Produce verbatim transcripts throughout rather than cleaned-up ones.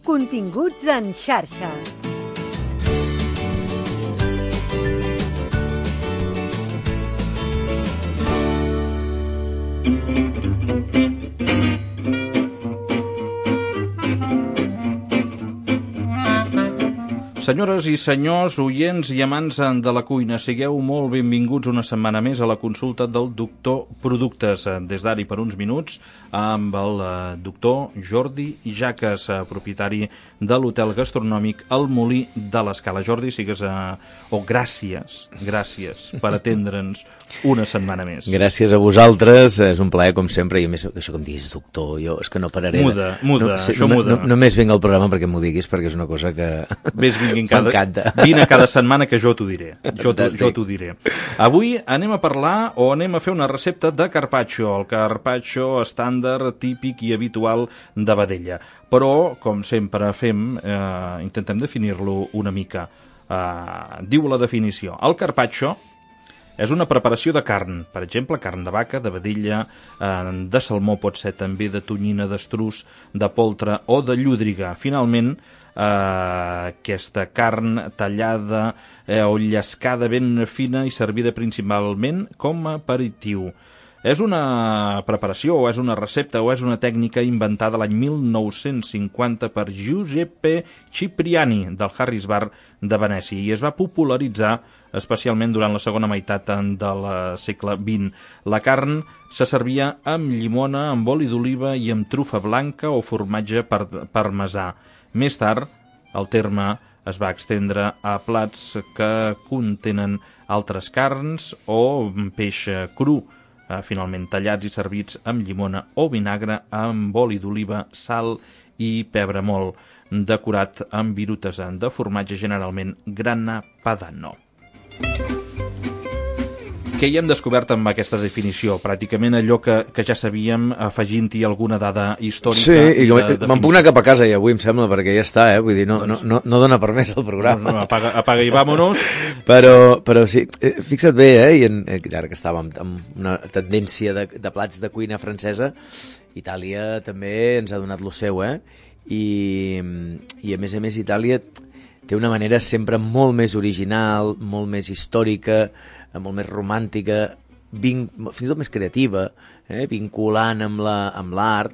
Continguts en xarxa. Senyores i senyors, oients i amants de la cuina, sigueu molt benvinguts una setmana més a la consulta del doctor Productes. Des d'ara i per uns minuts, amb el doctor Jordi Jaques, propietari de l'hotel gastronòmic El Molí de l'Escala. Jordi, sigues a... o oh, gràcies, gràcies per atendre'ns una setmana més. Gràcies a vosaltres, és un plaer com sempre, i a més, això que em diguis doctor, jo és que no pararé. Muda, muda, no, sí, això no, muda. No, només vinc al programa perquè m'ho diguis, perquè és una cosa que... Ves vinguin cada... Vine cada setmana que jo t'ho diré. Jo t'ho diré. Avui anem a parlar o anem a fer una recepta de carpaccio, el carpaccio estàndard, típic i habitual de vedella. Però, com sempre fem, eh, intentem definir-lo una mica. Eh, diu la definició. El carpaccio és una preparació de carn, per exemple, carn de vaca, de vedella, eh, de salmó, pot ser també de tonyina, d'estruç, de poltre o de llúdriga. Finalment, Uh, aquesta carn tallada eh, o llescada ben fina i servida principalment com a aperitiu. És una preparació o és una recepta o és una tècnica inventada l'any mil nou-cents cinquanta per Giuseppe Cipriani del Harris Bar de Venècia i es va popularitzar especialment durant la segona meitat del segle vint. La carn se servia amb llimona, amb oli d'oliva i amb trufa blanca o formatge parmesà. Més tard, el terme es va estendre a plats que contenen altres carns o peix cru, finalment tallats i servits amb llimona o vinagre, amb oli d'oliva, sal i pebre molt, decorat amb virutes de formatge, generalment grana padano. Què hi hem descobert amb aquesta definició? Pràcticament allò que, que ja sabíem, afegint-hi alguna dada històrica. Sí, i, i me'n puc anar cap a casa ja avui, em sembla, perquè ja està, eh? Vull dir, no, doncs, no, no, no dona per més el programa. No, no, apaga, apaga i vámonos. Però, però sí, fixa't bé, eh? I en, ara que estàvem amb una tendència de, de plats de cuina francesa, Itàlia també ens ha donat lo seu, eh? I, i a més a més Itàlia té una manera sempre molt més original, molt més històrica, molt més romàntica, vin... fins i tot més creativa, eh? Vinculant amb la, amb l'art,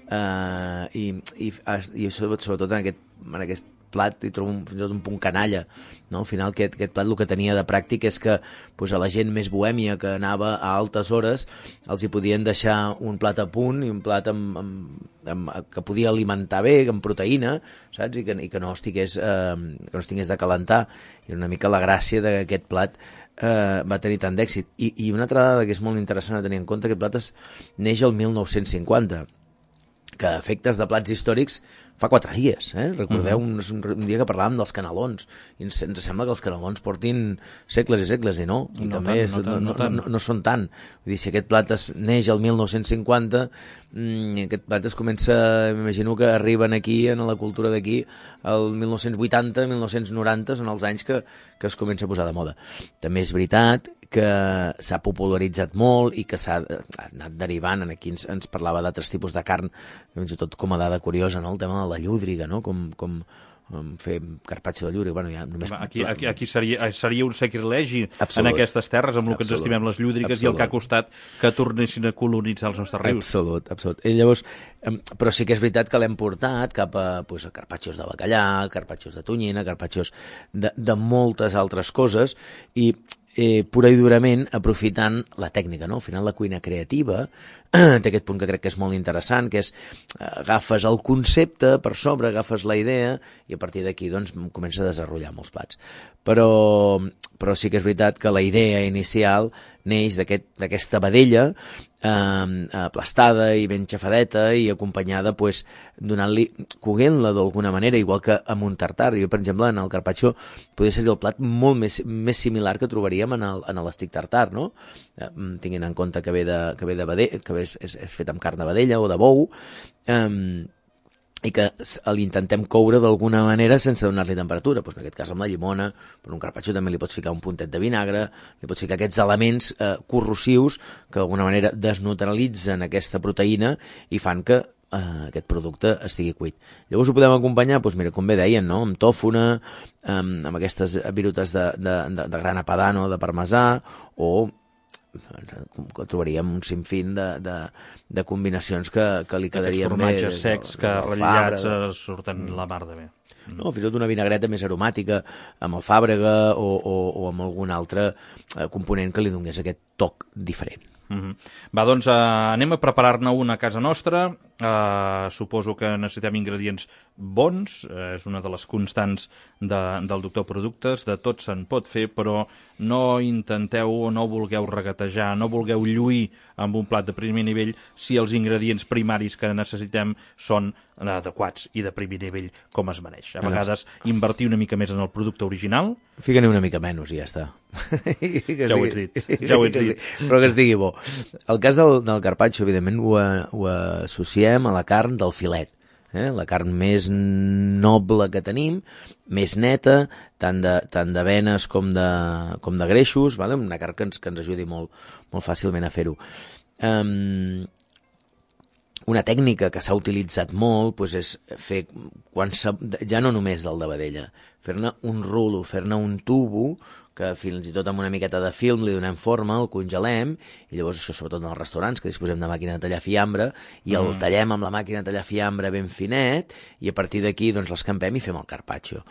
eh? I, i, i sobretot en aquest, en aquest plat hi trobo un, fins i tot un punt canalla, no? Al final aquest, aquest plat el que tenia de pràctic és que pues, a la gent més bohèmia que anava a altes hores els hi podien deixar un plat a punt i un plat amb, amb, amb, que podia alimentar bé, amb proteïna, saps? I que, i que no estigués, eh, que no estigués de calentar. I una mica la gràcia d'aquest plat eh, va tenir tant d'èxit. I, I una altra dada que és molt interessant a tenir en compte, aquest plat es neix el mil nou-cents cinquanta, que a efectes de plats històrics fa quatre dies, eh? Recordeu un, un dia que parlàvem dels canelons i ens, ens sembla que els canelons portin segles i segles i no, i no també tant, és, no, tant, no, no, tant. no, no, no són tant. Vull dir, si aquest plat es neix el mil nou-cents cinquanta, mmm, aquest plat es comença, m'imagino que arriben aquí en la cultura d'aquí el mil nou-cents vuitanta, mil nou-cents noranta són els anys que, que es comença a posar de moda. També és veritat que s'ha popularitzat molt i que s'ha anat derivant, en aquí ens, ens parlava d'altres tipus de carn, fins i tot com a dada curiosa, no? El tema de la llúdriga, no? Com, com fer carpaccio de llúdriga. Bueno, ja només... Aquí, aquí, aquí seria, seria un sacrilegi Absolut. En aquestes terres, amb el que Absolut. ens estimem les llúdrigues Absolut. I el que ha costat que tornessin a colonitzar els nostres rius. Absolut, absolut. I llavors, però sí que és veritat que l'hem portat cap a, pues, a carpaccios de bacallà, carpaccios de tonyina, carpaccios de, de moltes altres coses, i eh, pura i durament aprofitant la tècnica, no? Al final la cuina creativa té aquest punt que crec que és molt interessant, que és eh, agafes el concepte per sobre, agafes la idea i a partir d'aquí doncs comença a desenvolupar molts plats. Però, però sí que és veritat que la idea inicial neix d'aquesta aquest, vedella eh, aplastada i ben xafadeta i acompanyada pues, donant-li, coguent-la d'alguna manera, igual que amb un tartar. Jo, per exemple, en el carpaccio podria ser el plat molt més, més similar que trobaríem en l'estic tartar, no? Eh, tinguin en compte que ve de, que ve de vedella, que és, és, és fet amb carn de vedella o de bou, eh, i que l'intentem coure d'alguna manera sense donar-li temperatura. Pues en aquest cas amb la llimona, per un carpaccio també li pots ficar un puntet de vinagre, li pots ficar aquests elements eh, corrosius que d'alguna manera desneutralitzen aquesta proteïna i fan que eh, aquest producte estigui cuit. Llavors ho podem acompanyar, doncs mira, com bé deien, no? Amb tòfona, amb, amb aquestes virutes de, de, de, de grana padano, de parmesà, o que trobaríem un sinfín de, de, de combinacions que, que li quedarien bé. Aquests formatges secs que ratllats surten la mar de bé. No, fins i tot una vinagreta més aromàtica amb alfàbrega o, o, o amb algun altre component que li donés aquest toc diferent. Mm-hmm. Va, doncs eh, anem a preparar-ne una a casa nostra. Eh, suposo que necessitem ingredients bons, eh, és una de les constants de, del Doctor Productes, de tot se'n pot fer, però no intenteu o no vulgueu regatejar, no vulgueu lluir amb un plat de primer nivell si els ingredients primaris que necessitem són adequats i de primer nivell com es mereix. A vegades invertir una mica més en el producte original. Fica-ne una mica menys i ja està. Ja ho ets dit, ja ho ets dit. Però que es digui bo. El cas del, del carpaccio, evidentment, ho, ho associem a la carn del filet. Eh? La carn més noble que tenim, més neta, tant de, tant de venes com de, com de greixos, vale? Una carn que ens, que ens ajudi molt, molt fàcilment a fer-ho. Um, una tècnica que s'ha utilitzat molt doncs és fer, quan ja no només del de vedella, fer-ne un rulo, fer-ne un tubo, que fins i tot amb una miqueta de film li donem forma, el congelem, i llavors això sobretot en els restaurants, que disposem de màquina de tallar fiambre, i el mm. tallem amb la màquina de tallar fiambre ben finet, i a partir d'aquí doncs l'escampem i fem el carpaccio.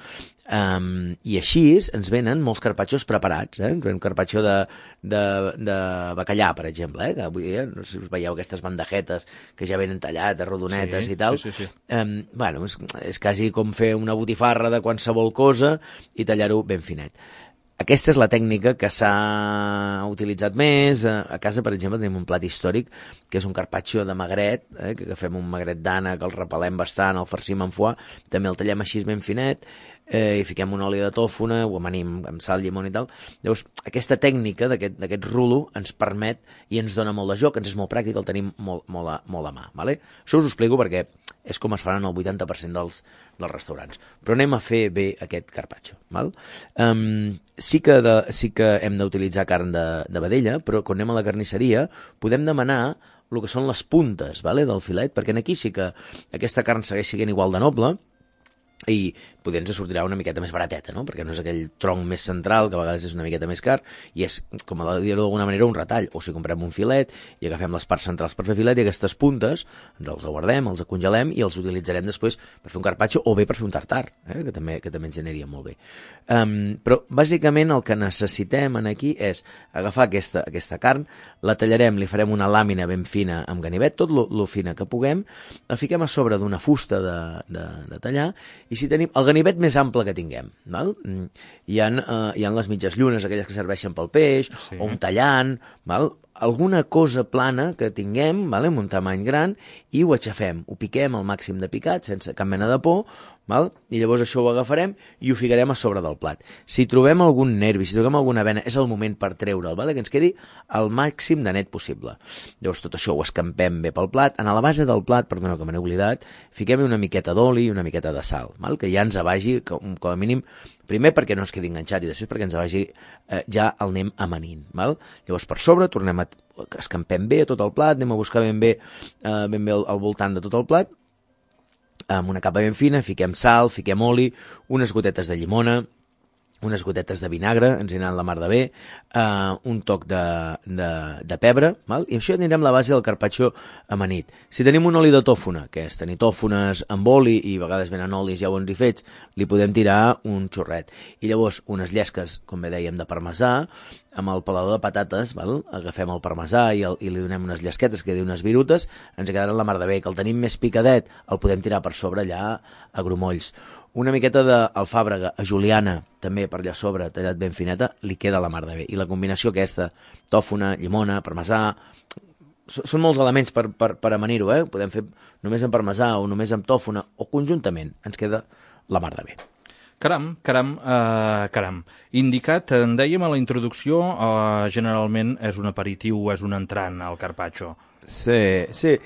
Um, I així ens venen molts carpaccios preparats, eh? Ens venen carpaccio de, de, de bacallà, per exemple, eh? Que avui dia, no sé si us veieu aquestes bandejetes que ja venen tallades, rodonetes sí, i tal. Sí, sí, sí. Um, bueno, és, és quasi com fer una botifarra de qualsevol cosa i tallar-ho ben finet. Aquesta és la tècnica que s'ha utilitzat més. A casa, per exemple, tenim un plat històric que és un carpaccio de magret, eh, que agafem un magret d'ànec, el repelem bastant, el farcim amb foie, també el tallem així ben finet, eh, i fiquem un oli de tòfona, ho amanim amb sal, llimona i tal. Llavors, aquesta tècnica d'aquest rulo ens permet i ens dona molt de joc, ens és molt pràctic, el tenim molt, molt, a, molt a mà. Vale? Això us ho explico perquè és com es faran el vuitanta per cent dels, dels restaurants. Però anem a fer bé aquest carpaccio. Val? Um, sí, que de, sí que hem d'utilitzar carn de, de vedella, però quan anem a la carnisseria podem demanar el que són les puntes, vale, del filet, perquè aquí sí que aquesta carn segueix sent igual de noble, i potser ens sortirà una miqueta més barateta, no? Perquè no és aquell tronc més central, que a vegades és una miqueta més car, i és, com a dir-ho d'alguna manera, un retall. O si comprem un filet i agafem les parts centrals per fer filet, i aquestes puntes ens els guardem, els congelem i els utilitzarem després per fer un carpaccio o bé per fer un tartar, eh? que, també, que també ens generaria molt bé. Um, però, bàsicament, el que necessitem aquí és agafar aquesta, aquesta carn, la tallarem, li farem una làmina ben fina amb ganivet, tot lo, lo fina que puguem, la fiquem a sobre d'una fusta de, de, de tallar, i si tenim el ganivet més ample que tinguem, val? Hi ha, uh, hi ha les mitges llunes, aquelles que serveixen pel peix, sí. O un tallant, val? Alguna cosa plana que tinguem, vale? Amb un tamany gran, i ho aixafem, ho piquem al màxim de picat, sense cap mena de por, val? I llavors això ho agafarem i ho ficarem a sobre del plat. Si trobem algun nervi, si trobem alguna vena, és el moment per treure'l, vale? Que ens quedi el màxim de net possible. Llavors tot això ho escampem bé pel plat. En la base del plat, perdoneu que me n'he oblidat, fiquem una miqueta d'oli i una miqueta de sal, val? Que ja ens vagi, com, com a mínim, primer perquè no es quedi enganxat i després perquè ens vagi eh, ja el anem amanint, val? Llavors per sobre tornem a escampem bé tot el plat, anem a buscar ben bé, eh, ben bé al, al voltant de tot el plat, amb una capa ben fina, fiquem sal, fiquem oli, unes gotetes de llimona, unes gotetes de vinagre, ens aniran la mar de bé, uh, un toc de, de, de pebre, val? I això anirem la base del carpaccio amanit. Si tenim un oli de tòfona, que és tenir tòfones amb oli, i a vegades venen olis ja bons i fets, li podem tirar un xorret. I llavors unes llesques, com bé dèiem, de parmesà, amb el pelador de patates, val? Agafem el parmesà i, el, i li donem unes llesquetes, que diu unes virutes, ens quedaran la mar de bé. Que el tenim més picadet, el podem tirar per sobre allà a grumolls. Una miqueta d'alfàbrega a juliana, també per allà sobre, tallat ben fineta, li queda la mar de bé. I la combinació aquesta, tòfona, llimona, parmesà, són molts elements per, per, per amanir-ho, eh? Podem fer només amb parmesà o només amb tòfona, o conjuntament, ens queda la mar de bé. Caram, caram, uh, caram. Indicat, en dèiem a la introducció, uh, generalment és un aperitiu o és un entrant al carpaccio. Sí, sí.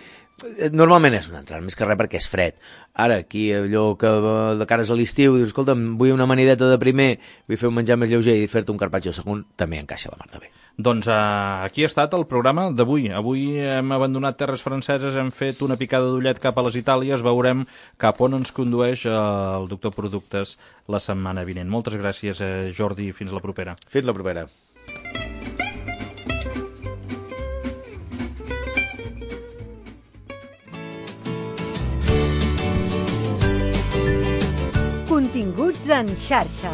normalment és un entrant, més que res perquè és fred. Ara, aquí, allò que de cares a l'estiu, dius, escolta'm, vull una amanideta de primer, vull fer un menjar més lleuger i fer-te un carpaccio segon, també encaixa la mar de bé. Doncs uh, aquí ha estat el programa d'avui. Avui hem abandonat terres franceses, hem fet una picada d'ullet cap a les Itàlies, veurem cap on ens condueix uh, el doctor Productes la setmana vinent. Moltes gràcies, uh, Jordi, fins la propera. Fins la propera. Continguts en xarxa.